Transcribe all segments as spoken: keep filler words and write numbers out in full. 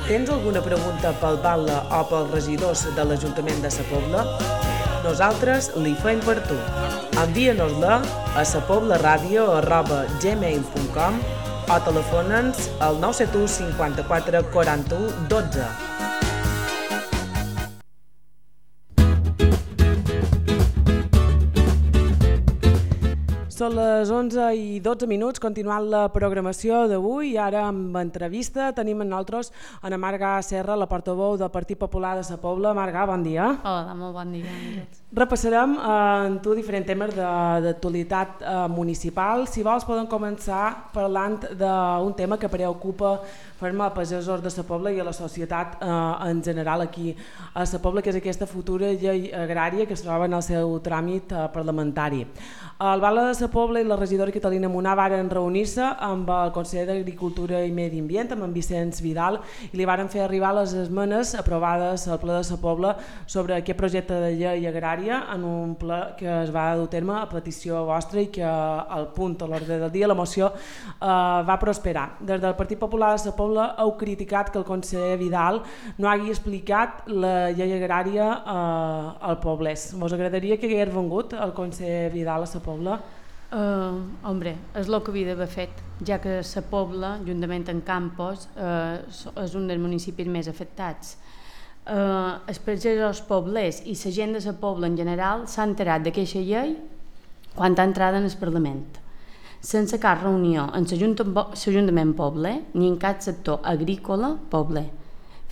Tens alguna pregunta pel batlle o pels regidors de l'Ajuntament de Sa Pobla? Nosaltres li fem per tu. Envia-nos-la a sapoblaradio arroba gmail punt com o telefona'ns al nou set u cinquanta-quatre quaranta-u dotze. Són les onze i dotze minuts, continuant la programació d'avui i ara amb entrevista tenim amb nosaltres Ana Marga Serra, la portaveu del Partit Popular de Sa Pobla. Marga, bon dia. Hola, molt bon dia. Repassarem eh, amb tu diferents temes d'actualitat eh, municipal. Si vols podem començar parlant d'un tema que preocupa ferma a pagesos de Sa Pobla i a la societat eh, en general aquí a Sa Pobla, que és aquesta futura llei agrària que es troba en el seu tràmit eh, parlamentari. El batlle de Sa Pobla i la regidora Catalina Munar varen reunir-se amb el conseller d'Agricultura i Medi Ambient, amb en Vicenç Vidal, i li varen fer arribar les esmenes aprovades al ple de Sa Pobla sobre aquest projecte de llei agrària en un ple que es va dur a terme a petició vostra i que al punt a l'ordre del dia la moció eh, va prosperar. Des del Partit Popular de Sa Pobla heu criticat que el conseller Vidal no hagi explicat la llei agrària eh, al poblès. Vos agradaria que hagués vengut el conseller Vidal a Sa Pobla? Uh, hombre, és el que havia d'haver fet, ja que Sa Pobla, juntament amb Campos, uh, és un dels municipis més afectats. Uh, els pagesos poblers i la gent de Sa Pobla en general s'ha enterat d'aquesta llei quan ha entrat en el Parlament, sense cap reunió en l'Ajuntament pobler ni en cap sector agrícola pobler.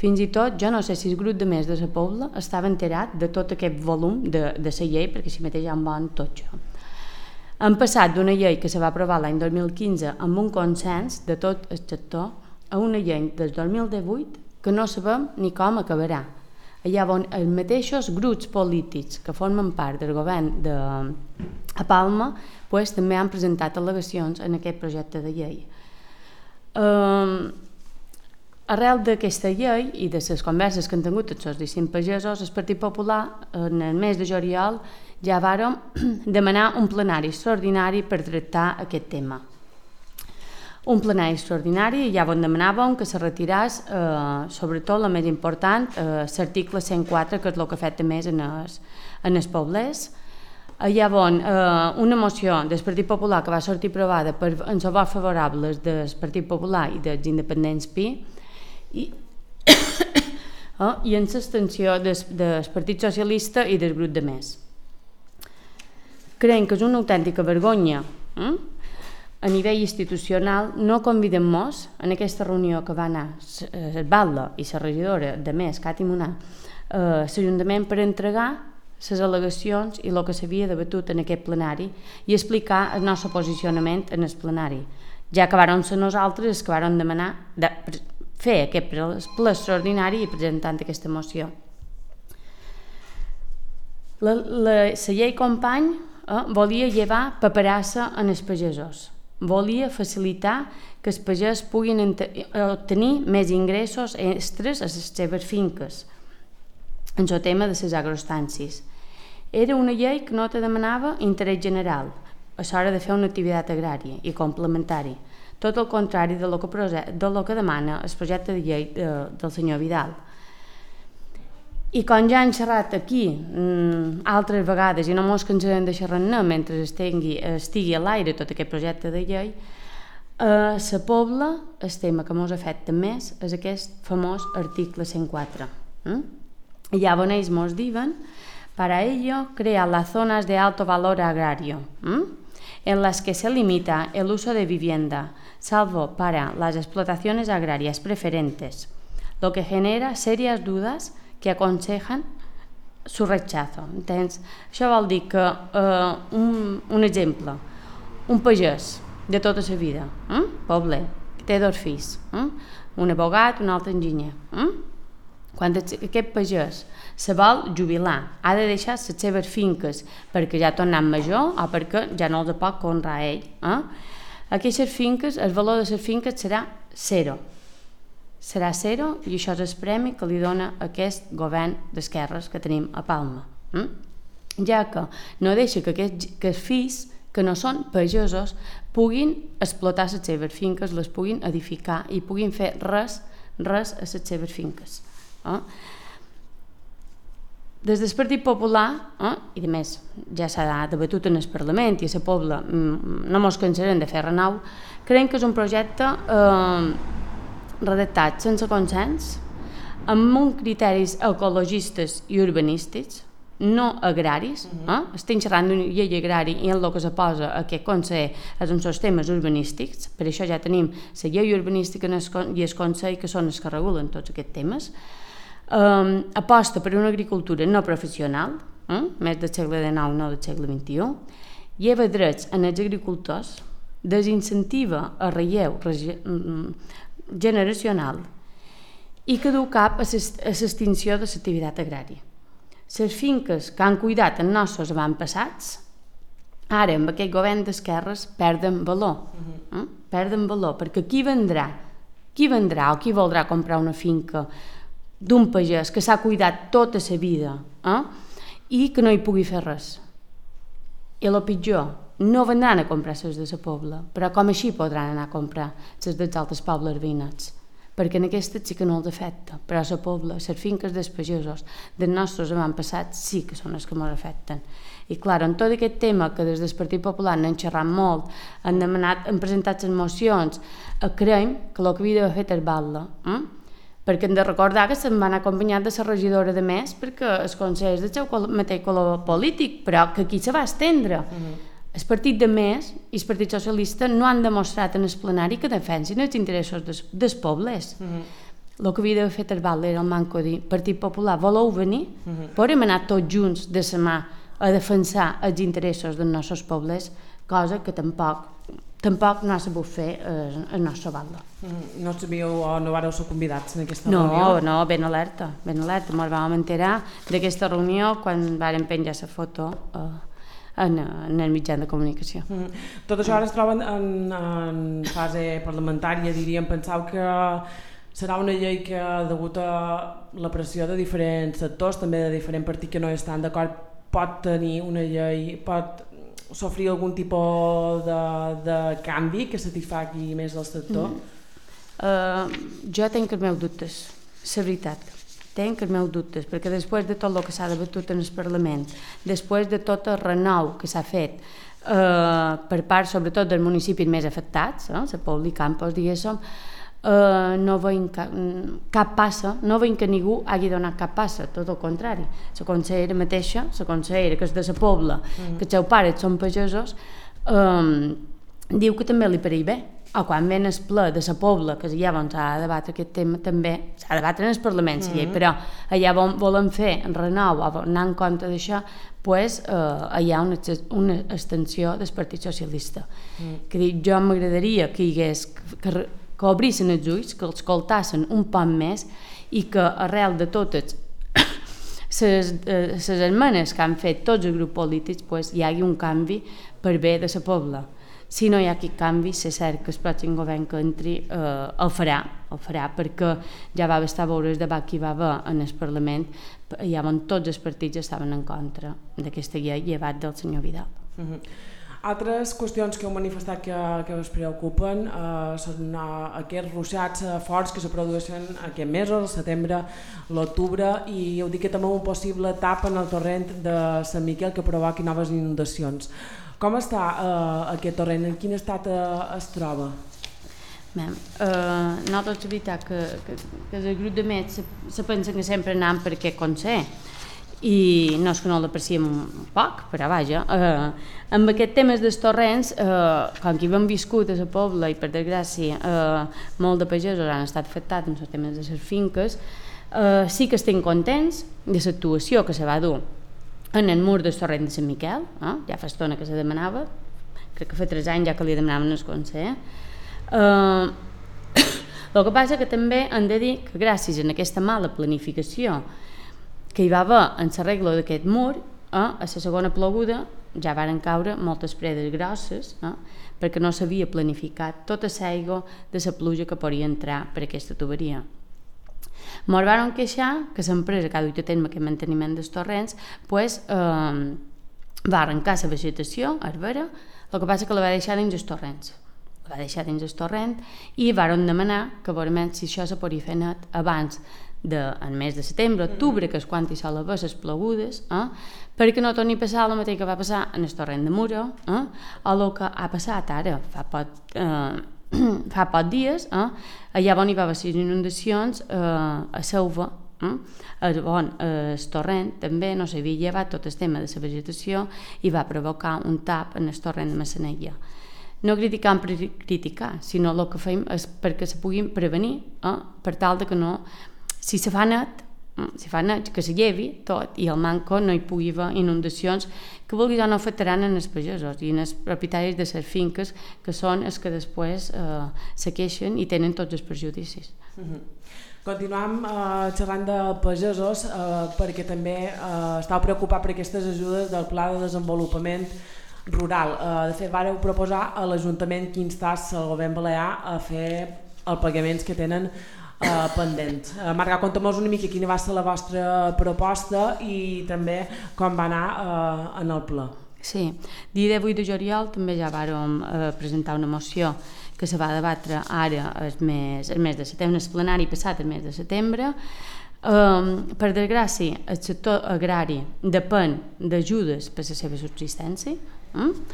Fins i tot, jo no sé si el grup de més de Sa Pobla estava enterat de tot aquest volum de, de la llei, perquè si mateix en van tot això. Han passat d'una llei que se va aprovar l'any dos mil quinze amb un consens de tot el sector a una llei del dos mil divuit que no sabem ni com acabarà. Allà on els mateixos grups polítics que formen part del govern de a Palma pues, també han presentat al·legacions en aquest projecte de llei. Um, arrel d'aquesta llei i de les converses que han tingut tots els distints pagesos, el Partit Popular en el mes de juliol ja vàrem demanar un plenari extraordinari per tractar aquest tema. Un plenari extraordinari i ja on demanàvem que se retirés, eh, sobretot la més important, eh, l'article cent quatre, que és el que afecta més en els, en els poblers. Allà on eh, una moció del Partit Popular que va sortir aprovada per, en els vots favorables del Partit Popular i dels independents Pi i, eh, i en l'abstenció del, del Partit Socialista i del grup de més. Creiem que és una autèntica vergonya eh? a nivell institucional. No convidem mos en aquesta reunió que va anar el batlle i la regidora de més, Cati Munar, a l'Ajuntament per entregar les al·legacions i el que s'havia debatut en aquest plenari i explicar el nostre posicionament en el plenari, ja que vàrem ser nosaltres els que vàrem demanar de fer aquest ple extraordinari i presentant aquesta moció. La, la, la llei company eh, volia llevar paperassa en els pagesos, volia facilitar que els pagès puguin obtenir més ingressos extres a les seves finques en el tema de les agrostàncies. Era una llei que no te demanava interès general a l'hora de fer una activitat agrària i complementari, tot el contrari de lo que, de lo que demana el projecte de llei de, del senyor Vidal. I com ja hem xerrat aquí mm, altres vegades i no mos cansarem de xerrar-ne mentre estigui, estigui a l'aire tot aquest projecte de llei, a Sa Pobla el tema que mos afecta més és aquest famós article cent quatre. Mm? Ja on ells mos diuen: para ello crea las zonas de alto valor agrario, ¿m? en las que se limita el uso de vivienda, salvo para las explotaciones agrarias preferentes, lo que genera serias dudas que aconsejan su rechazo. Entens? Això vol dir que, eh, un, un exemple, un pagès de tota la vida, eh? pobler, que té dos fills, eh? un abogat, un altre enginyer, eh? quan aquest pagès se vol jubilar, ha de deixar les seves finques perquè ja ha tornat major o perquè ja no els pot honrar ell. Eh? Aquestes finques, el valor de les finques serà zero. Serà zero i això és el premi que li dona aquest govern d'esquerres que tenim a Palma. Eh? Ja que no deixa que aquests que els fills que no són pagesos puguin explotar les seves finques, les puguin edificar i puguin fer res res a les seves finques. Eh? Des del Partit Popular, eh, i a més ja s'ha debatut en el Parlament i a la Pobla no mos cansarem de fer renau, creiem que és un projecte eh, redactat sense consens, amb uns criteris ecologistes i urbanístics, no agraris. Eh? Estem xerrant d'una llei agrari i en el que se posa aquest Consell és uns temes urbanístics, per això ja tenim la llei urbanística i el Consell, que són els que regulen tots aquests temes. Um, aposta per una agricultura no professional, eh? més del segle dinou, no del segle vint-i-u, lleva drets en els agricultors, desincentiva el relleu generacional i que du cap a l'extinció de l'activitat agrària. Les finques que han cuidat els nostres avantpassats, ara amb aquest govern d'esquerres perden valor, eh? perden valor, perquè qui vendrà, qui vendrà o qui voldrà comprar una finca d'un pagès que s'ha cuidat tota la vida eh? i que no hi pugui fer res. I el pitjor, no vendran a comprar les de la Pobla, però com així podran anar a comprar les dels altres pobles veïnats, perquè en aquestes sí que no els afecta, però a la Pobla, les finques dels pagesos dels nostres avantpassats sí que són les que ens afecten. I clar, en tot aquest tema que des del Partit Popular n'han xerrat molt, han demanat, han presentat les mocions, creiem que el que havia d'haver fet és batla, eh? perquè hem de recordar que se'n van acompanyar de la regidora de més, perquè els consells del seu mateix color polític, però que aquí se va estendre. Uh-huh. El partit de més i el Partit Socialista no han demostrat en el plenari que defensin els interessos dels, dels pobles. Uh-huh. El que havia d'haver fet el val era el manco dir Partit Popular, voleu venir? Uh-huh. Podem anar tots junts de la mà a defensar els interessos dels nostres pobles, cosa que tampoc tampoc no ha sabut fer eh, el nostre banda. Mm, no sabíeu o no vareu ser convidats en aquesta no, reunió? No, no, ben alerta, ben alerta. Ens vam enterar d'aquesta reunió quan varen penjar la foto eh, en, en el mitjà de comunicació. Mm. Tot això ara es troben en, en fase parlamentària, diríem. Penseu que serà una llei que, degut a la pressió de diferents sectors, també de diferents partits que no estan d'acord, pot tenir una llei, pot sofrir algun tipus de, de canvi que satisfagui més el sector? Mm. Uh, jo tenc els meus dubtes, la veritat. Tenc els meus dubtes, perquè després de tot el que s'ha debatut en el Parlament, després de tot el renou que s'ha fet uh, per part sobretot dels municipis més afectats, eh, la Pobla i Campos, diguéssim, Uh, no veiem cap, cap passa, no veiem que ningú hagi donat cap passa, tot el contrari. La consellera mateixa, la consellera que és de la Pobla, mm. que els seus pares són pagesos, um, diu que també li pareix bé. O quan ven el ple de la Pobla, que allà on s'ha de debatre aquest tema, també s'ha de debatre en el Parlament, mm. llei, però allà on volen fer en renou o anar en compte d'això, pues, uh, hi ha una, una extensió del Partit Socialista. Mm. Que dic, jo m'agradaria que hi hagués que, que obrissin els ulls, que els escoltassin un poc més i que arrel de totes les eh, esmenes que han fet tots els grups polítics pues, hi hagi un canvi per bé de la Pobla. Si no hi ha aquest canvi, és cert que el pròxim govern que entri eh, el farà, el farà, perquè ja va bastar veure el debat que hi va haver en el Parlament, ja on tots els partits estaven en contra d'aquesta llei, llevat del senyor Vidal. Mm-hmm. Altres qüestions que heu manifestat que, que us preocupen eh, són uh, aquests ruixats uh, forts que se produeixen aquests mesos, el setembre, l'octubre, i heu dit que també un possible tap en el torrent de Sant Miquel que provoqui noves inundacions. Com està uh, aquest torrent? En quin estat uh, es troba? Bé, uh, nosaltres és veritat que, que, que el grup de Met se, se pensen que sempre anant per aquest consell, i no és que no l'apreciem un poc, però vaja, eh, amb aquests temes dels torrents, eh, com que hi hem viscut a la Pobla i per desgràcia eh, molt de pagesos han estat afectats amb els temes de les finques, eh, sí que estem contents de l'actuació que se va dur en el mur del torrent de Sant Miquel, eh, ja fa estona que se demanava, crec que fa tres anys ja que li demanaven el consell. Eh, el que passa que també hem de dir que gràcies a aquesta mala planificació que hi va haver en l'arreglo d'aquest mur, eh, a la segona ploguda ja varen caure moltes predes grosses, eh, perquè no s'havia planificat tota l'aigua de la pluja que podria entrar per aquesta tuberia. Ens van queixar que l'empresa que ha dut a terme aquest manteniment dels torrents pues, eh, va arrencar la vegetació, herbera, el que passa que la va deixar dins els torrents. La va deixar dins el torrent i varen demanar que veurem si això se podia fer net abans del mes de setembre, octubre, que és quan hi sol haver les plogudes, eh? perquè no torni a passar el mateix que va passar en el torrent de Muro, eh? o el que ha passat ara, fa poc, eh, fa poc dies, eh? allà on hi va haver les inundacions eh, a Selva, eh? on el torrent també no s'havia llevat tot el tema de la vegetació i va provocar un tap en el torrent de Massanella. No criticam per criticar, sinó el que fem és perquè se puguin prevenir, eh? per tal de que no, si se fa net, si fa net, que se llevi tot i al manco no hi pugui haver inundacions que vulguis o no afectaran en els pagesos i en els propietaris de les finques, que són els que després eh, se queixen i tenen tots els perjudicis. Mm-hmm. Continuam eh, xerrant de pagesos eh, perquè també eh, estàu preocupat per aquestes ajudes del Pla de Desenvolupament Rural. Eh, de fet, vàreu proposar a l'Ajuntament que instasse el govern balear a fer els pagaments que tenen Uh, pendents. Uh, Marga, conta'm-nos una mica quina va ser la vostra proposta i també com va anar uh, en el ple. Sí, dia divuit de juliol també ja vàrem uh, presentar una moció que se va debatre ara el mes, el mes de setembre, el plenari passat el mes de setembre. Um, per desgràcia, el sector agrari depèn d'ajudes per a la seva subsistència. Mm?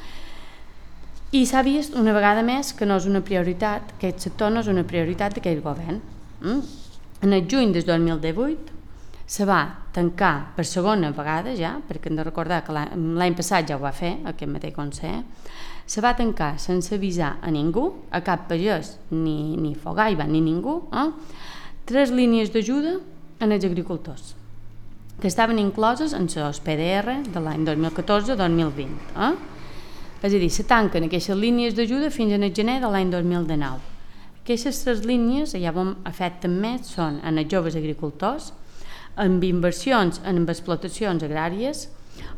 I s'ha vist una vegada més que no és una prioritat, que aquest sector no és una prioritat d'aquest govern. Mm? En el juny del dos mil divuit se va tancar per segona vegada ja, perquè hem de recordar que l'any passat ja ho va fer aquest mateix Consell, se va tancar sense avisar a ningú, a cap pagès, ni, ni Fogaiba, ni ningú, eh? tres línies d'ajuda en els agricultors, que estaven incloses en els P D R de l'any dos mil catorze dos mil vint. Eh? És a dir, se tanquen aquestes línies d'ajuda fins al gener de l'any dos mil dinou. Aquestes tres línies, ja vam afecten més, són en els joves agricultors, amb inversions en explotacions agràries,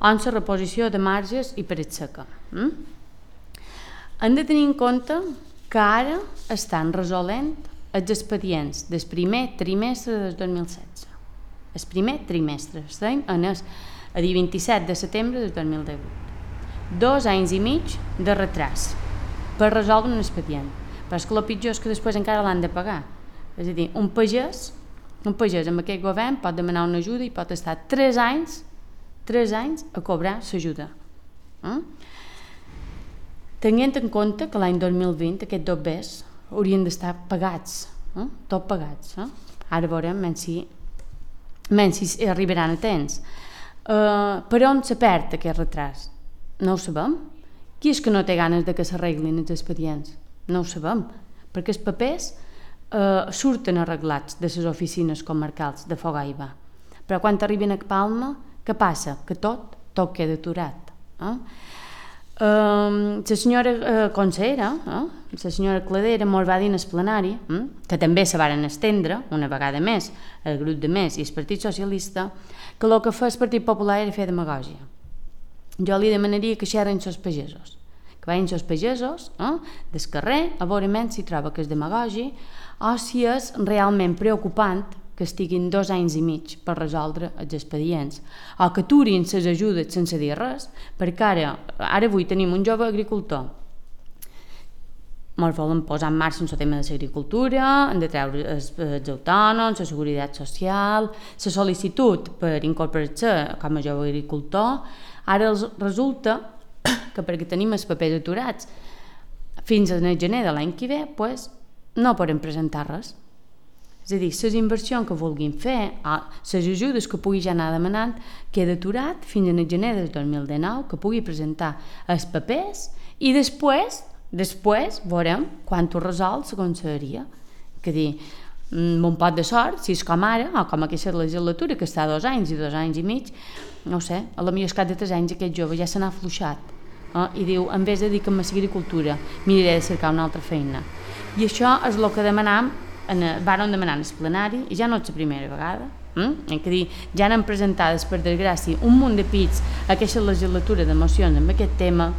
o en la reposició de marges i paret seca. Mm? Hem de tenir en compte que ara estan resolent els expedients del primer trimestre del dos mil setze. El primer trimestre, estem en el, a dir vint-i-set de setembre del dos mil divuit. Dos anys i mig de retras per resoldre un expedient. Però és que el pitjor és que després encara l'han de pagar. És a dir, un pagès, un pagès amb aquest govern pot demanar una ajuda i pot estar tres anys, tres anys a cobrar l'ajuda. Eh? Tenint en compte que l'any dos mil vint aquests dobbers haurien d'estar pagats, eh? tot pagats. Eh? Ara veurem menys si, menys si arribaran a temps. Uh, per on se perd aquest retras? No ho sabem. Qui és que no té ganes de que s'arreglin els expedients? No ho sabem, perquè els papers eh, surten arreglats de les oficines comarcals de Fogaiba. Però quan arriben a Palma, què passa? Que tot, tot queda aturat. Eh? Eh, la senyora eh, consellera, eh, la senyora Cladera, mos va dir en el plenari, eh, que també se varen estendre, una vegada més, el grup de Més i el Partit Socialista, que el que fa el Partit Popular era fer demagògia. Jo li demanaria que xerren els pagesos. Que vagin els pagesos eh, del carrer a veure menys si troba que és demagogi o si és realment preocupant que estiguin dos anys i mig per resoldre els expedients o que aturin les ajudes sense dir res, perquè ara, ara avui tenim un jove agricultor, ens volen posar en marxa el tema de l'agricultura, hem de treure els, els autònoms, la seguretat social, la sol·licitud per incorporar-se com a jove agricultor. Ara resulta que perquè tenim els papers aturats fins al gener de l'any que ve, pues, no podem presentar res. És a dir, les inversions que vulguin fer, les ajudes que pugui ja anar demanant, queda aturat fins al gener del dos mil dinou, que pugui presentar els papers i després, després veurem quan ho resol la conselleria. Que dir, amb un pot de sort, si és com ara, o com aquesta legislatura, que està dos anys i dos anys i mig, no ho sé, a la millor escat de tres anys aquest jove ja se n'ha afluixat. Eh? I diu, en vez de dir que l'agricultura miraré de cercar una altra feina. I això és el que demanam, en el, vàrem demanar en el plenari, i ja no és la primera vegada, eh? Que dir, ja han presentades per desgràcia un munt de pits a aquesta legislatura de mocions amb aquest tema,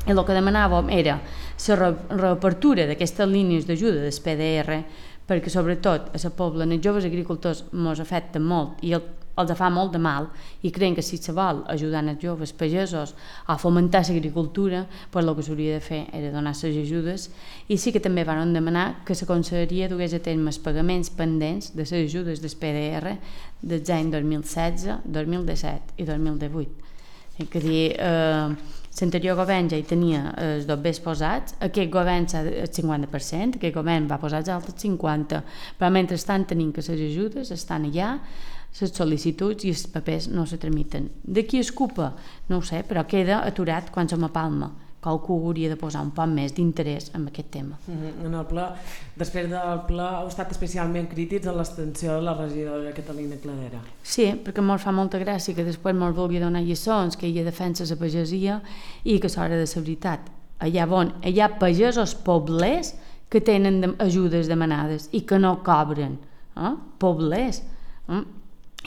i el que demanàvem era la reapertura d'aquestes línies d'ajuda del P D R, perquè sobretot a la pobla, els joves agricultors mos afecten molt, i el els fa molt de mal i creiem que si se vol ajudar els joves pagesos a fomentar l'agricultura, pues el que s'hauria de fer era donar les ajudes, i sí que també van demanar que la conselleria dugués a terme els pagaments pendents de les ajudes del P D R dels anys dos mil setze, dos mil disset i dos mil divuit. És a dir, eh, l'anterior govern ja hi tenia els dobbers posats, aquest govern s'ha el cinquanta per cent, aquest govern va posar els altres cinquanta, però mentrestant tenim que les ajudes estan allà, les sol·licituds i els papers no se tramiten. De qui es culpa? No ho sé, però queda aturat quan som a Palma. Qualcú hauria de posar un poc més d'interès en aquest tema. Mm-hmm. En el ple, després del ple, heu estat especialment crítics en l'extensió de la regidora Catalina Cladera. Sí, perquè ens fa molta gràcia que després ens vulgui donar lliçons, que ella defensa la pagesia i que s'hora de la veritat. Allà on hi ha pagesos poblers que tenen ajudes demanades i que no cobren. Eh? Poblers. Eh?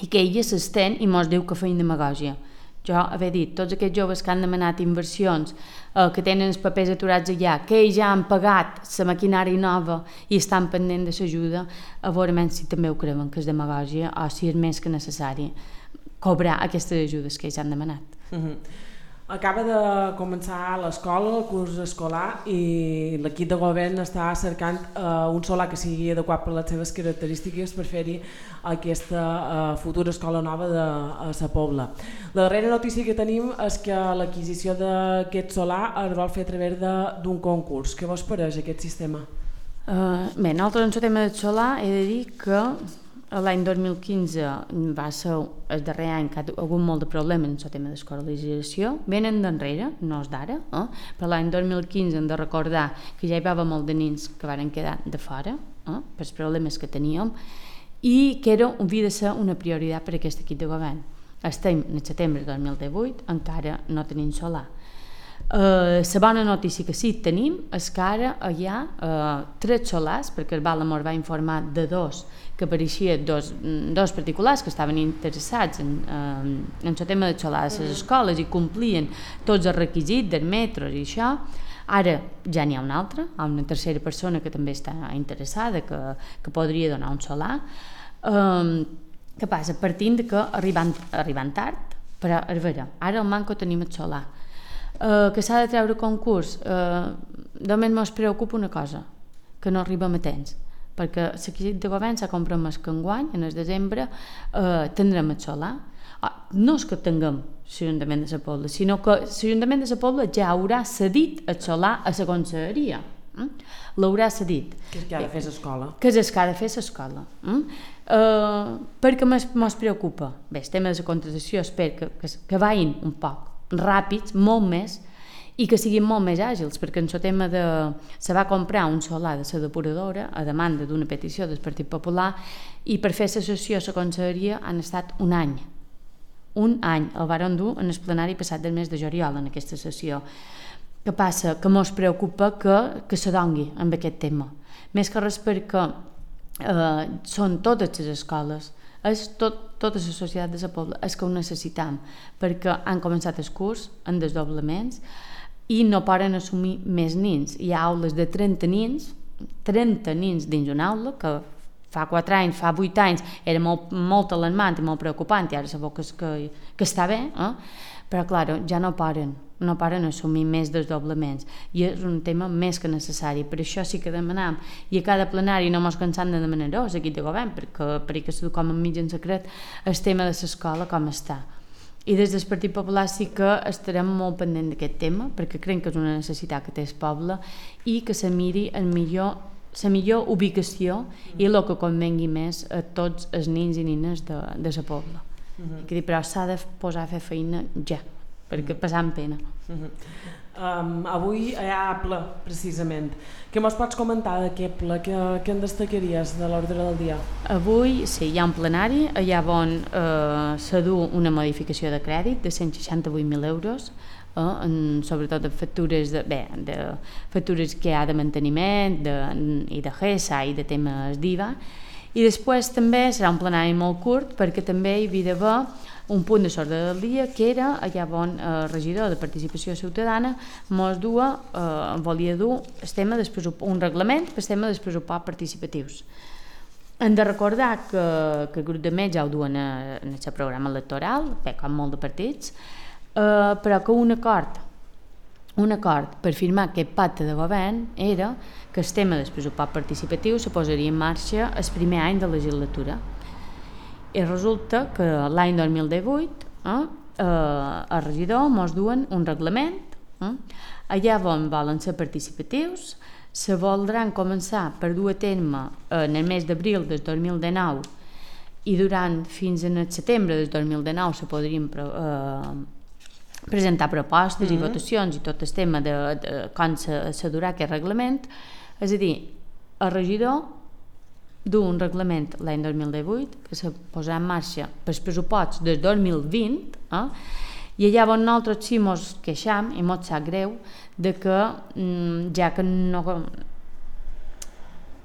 I que ella s'estén i mos diu que feien demagògia. Jo haver dit, tots aquests joves que han demanat inversions, eh, que tenen els papers aturats allà, que ja han pagat la maquinària nova i estan pendent de l'ajuda, a veure si també ho creuen que és demagògia o si és més que necessari cobrar aquestes ajudes que ells han demanat. Mm-hmm. Acaba de començar l'escola, el curs escolar, i l'equip de govern està cercant uh, un solar que sigui adequat per les seves característiques per fer-hi aquesta uh, futura escola nova de uh, la Pobla. La darrera notícia que tenim és que l'adquisició d'aquest solar es vol fer a través d'un concurs. Què vos pareix aquest sistema? Uh, bé, nosaltres en el tema del solar he de dir que l'any dos mil quinze va ser el darrer any que ha hagut molt de problemes en el tema d'escolarització, venen d'enrere, no és d'ara, eh? però l'any dos mil quinze hem de recordar que ja hi va haver molt de nens que van quedar de fora, eh? pels problemes que teníem, i que era, havia de ser una prioritat per a aquest equip de govern. Estem en setembre de dos mil divuit, encara no tenim solar. La uh, bona notícia que sí tenim és que ara hi ha uh, tres solars, perquè el Balamor va informar de dos, que apareixien dos, dos particulars que estaven interessats en, en, en el tema de solar de les escoles i complien tots els requisits dels metros i això. Ara ja n'hi ha una altra, una tercera persona que també està interessada, que, que podria donar un solar. Um, què passa? Partint de que arribant, arribant tard, però a veure, ara al Manco tenim el solar. Uh, que s'ha de treure concurs, uh, només ens preocupa una cosa, que no arribem a temps, perquè l'equip de govern s'ha compromès que enguany, en el desembre, uh, tindrem el solar. Uh, no és que tinguem l'Ajuntament de la Pobla, sinó que l'Ajuntament de la Pobla ja haurà cedit el solar a la conselleria. Mm? L'haurà cedit. Que és que ha de fer l'escola. Que és que ha de fer l'escola. Mm? Uh, perquè ens preocupa? Bé, el tema de la contractació espero que, que, que vagin un poc ràpids, molt més, i que siguin molt més àgils, perquè en el tema de... se va comprar un solar de la depuradora a demanda d'una petició del Partit Popular i per fer la sessió a la conselleria han estat un any. Un any el varen dur en el plenari passat del mes de juliol en aquesta sessió. Què passa? Que ens preocupa que, que se dongui amb aquest tema. Més que res perquè eh, són totes les escoles, és tot, tota la societat de la Pobla, és que ho necessitam, perquè han començat el curs en desdoblaments i no poden assumir més nins. Hi ha aules de trenta nins, trenta nins dins una aula, que fa quatre anys, fa vuit anys, era molt, molt alarmant i molt preocupant, i ara sabeu que, que, que està bé, eh? però clar, ja no poden, no poden assumir més desdoblaments, i és un tema més que necessari. Per això sí que demanam, i a cada plenari no mos cansam de demanar-ho, l'equip de govern, perquè, perquè s'ha com a mig en secret el tema de l'escola com està. I des del Partit Popular sí que estarem molt pendent d'aquest tema, perquè creiem que és una necessitat que té el poble i que se miri el millor, la millor ubicació i el que convengui més a tots els nins i nines de, de la Pobla. Uh-huh. I però s'ha de posar a fer feina ja, perquè passant pena. Uh-huh. um, avui hi ha ple, precisament. Què mos pots comentar d'aquest ple? Què, què en destacaries de l'ordre del dia? Avui sí, hi ha un plenari, allà on eh, s'ha du una modificació de crèdit de cent seixanta-vuit mil euros, eh, en, sobretot de factures, de, bé, de factures que hi ha de manteniment de, i de G E S A i de temes d'I V A. I després també serà un plenari molt curt perquè també hi havia d'haver un punt de l'ordre del dia que era allà on el eh, regidor de Participació Ciutadana mos dua, eh, volia dur el tema del pressupost, un reglament per el tema dels pressupostos participatius. hem de recordar que, que el grup de metges ja ho duen a, en el seu programa electoral, bé, com molt de partits, eh, però que un acord, un acord per firmar aquest pacte de govern era que el tema del pressupost participatiu se posaria en marxa el primer any de legislatura. I resulta que l'any dos mil divuit eh, eh, el regidor mos duen un reglament, eh, allà on volen ser participatius, se voldran començar per dur a terme en el mes d'abril del dos mil dinou i durant fins en el setembre del dos mil dinou se podrien eh, presentar propostes mm-hmm. i votacions i tot el tema de, de com se, se durà aquest reglament. És a dir, el regidor du un reglament l'any dos mil divuit que se posarà en marxa pels pressuposts del dos mil vint eh? I allà on nosaltres sí mos queixam i mos sap greu de que ja que no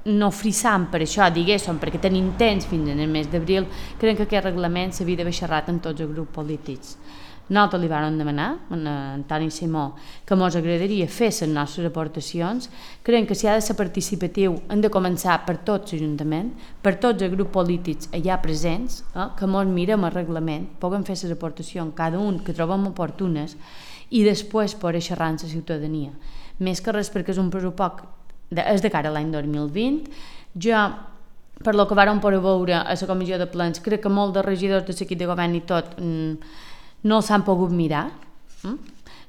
no frissam per això, diguéssim, perquè tenim temps fins en el mes d'abril, creiem que aquest reglament s'havia d'haver xerrat amb tots els grups polítics. Nosaltres li vam demanar a Antoni Simó que ens agradaria fer les nostres aportacions. Creiem que si ha de ser participatiu hem de començar per tots l'Ajuntament, per tots els grups polítics allà presents, eh, que ens mirem el reglament, puguem fer les aportacions, cada un que trobem oportunes, i després poder xerrar amb la ciutadania. Més que res perquè és un pressupost, de, és de cara a l'any dos mil vint. Jo, per lo que vàrem poder veure a la comissió de plens, crec que molts dels regidors de l'equip de govern i tot no s'han pogut mirar,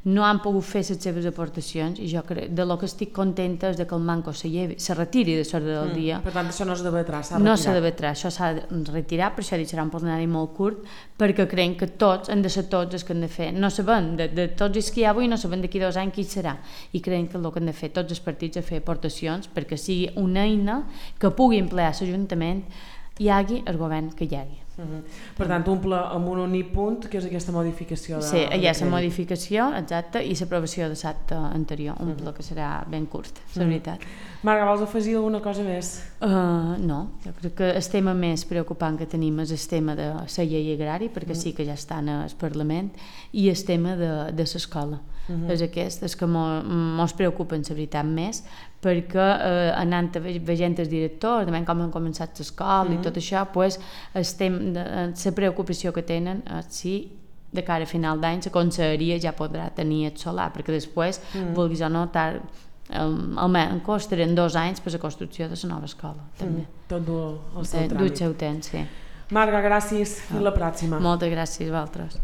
no han pogut fer les seves aportacions, i jo crec, de lo que estic contenta és que el manco se, llevi, se retiri de l'ordre del dia. Mm, per tant, això no es debatrà, s'ha no retirat. s'ha debatrà, això s'ha de retirar, per això deixarà un plenari molt curt, perquè creiem que tots, han de ser tots els que han de fer. No sabem, de, de tots els que hi ha avui, no sabem d'aquí dos anys qui serà, i creiem que el que han de fer tots els partits és fer aportacions perquè sigui una eina que pugui emplear l'Ajuntament, hi hagi el govern que hi hagi. Uh-huh. Per tant, un pla amb un únic punt, que és aquesta modificació de... Sí, hi ha la modificació, exacte, i l'aprovació de l'acte anterior, un uh-huh. pla que serà ben curt, la uh-huh. veritat. Marga, vols afegir alguna cosa més? Uh, no, jo crec que el tema més preocupant que tenim és el tema de la llei agrari, perquè uh-huh. sí que ja està al Parlament, i el tema de, de l'escola. Uh-huh. És aquest, és que mos preocupen, la veritat, més, perquè eh, anant veient els directors, veient com han començat l'escola uh-huh. i tot això, pues, la preocupació que tenen és si de cara a final d'any la conselleria ja podrà tenir el solar, perquè després, uh-huh. vulguis o no, tar, um, almenys costaran dos anys per la construcció de la nova escola. També. Uh-huh. Tot du el seu tràmit. Du el seu temps, sí. Marga, gràcies. Fins la pròxima. Moltes gràcies a vosaltres.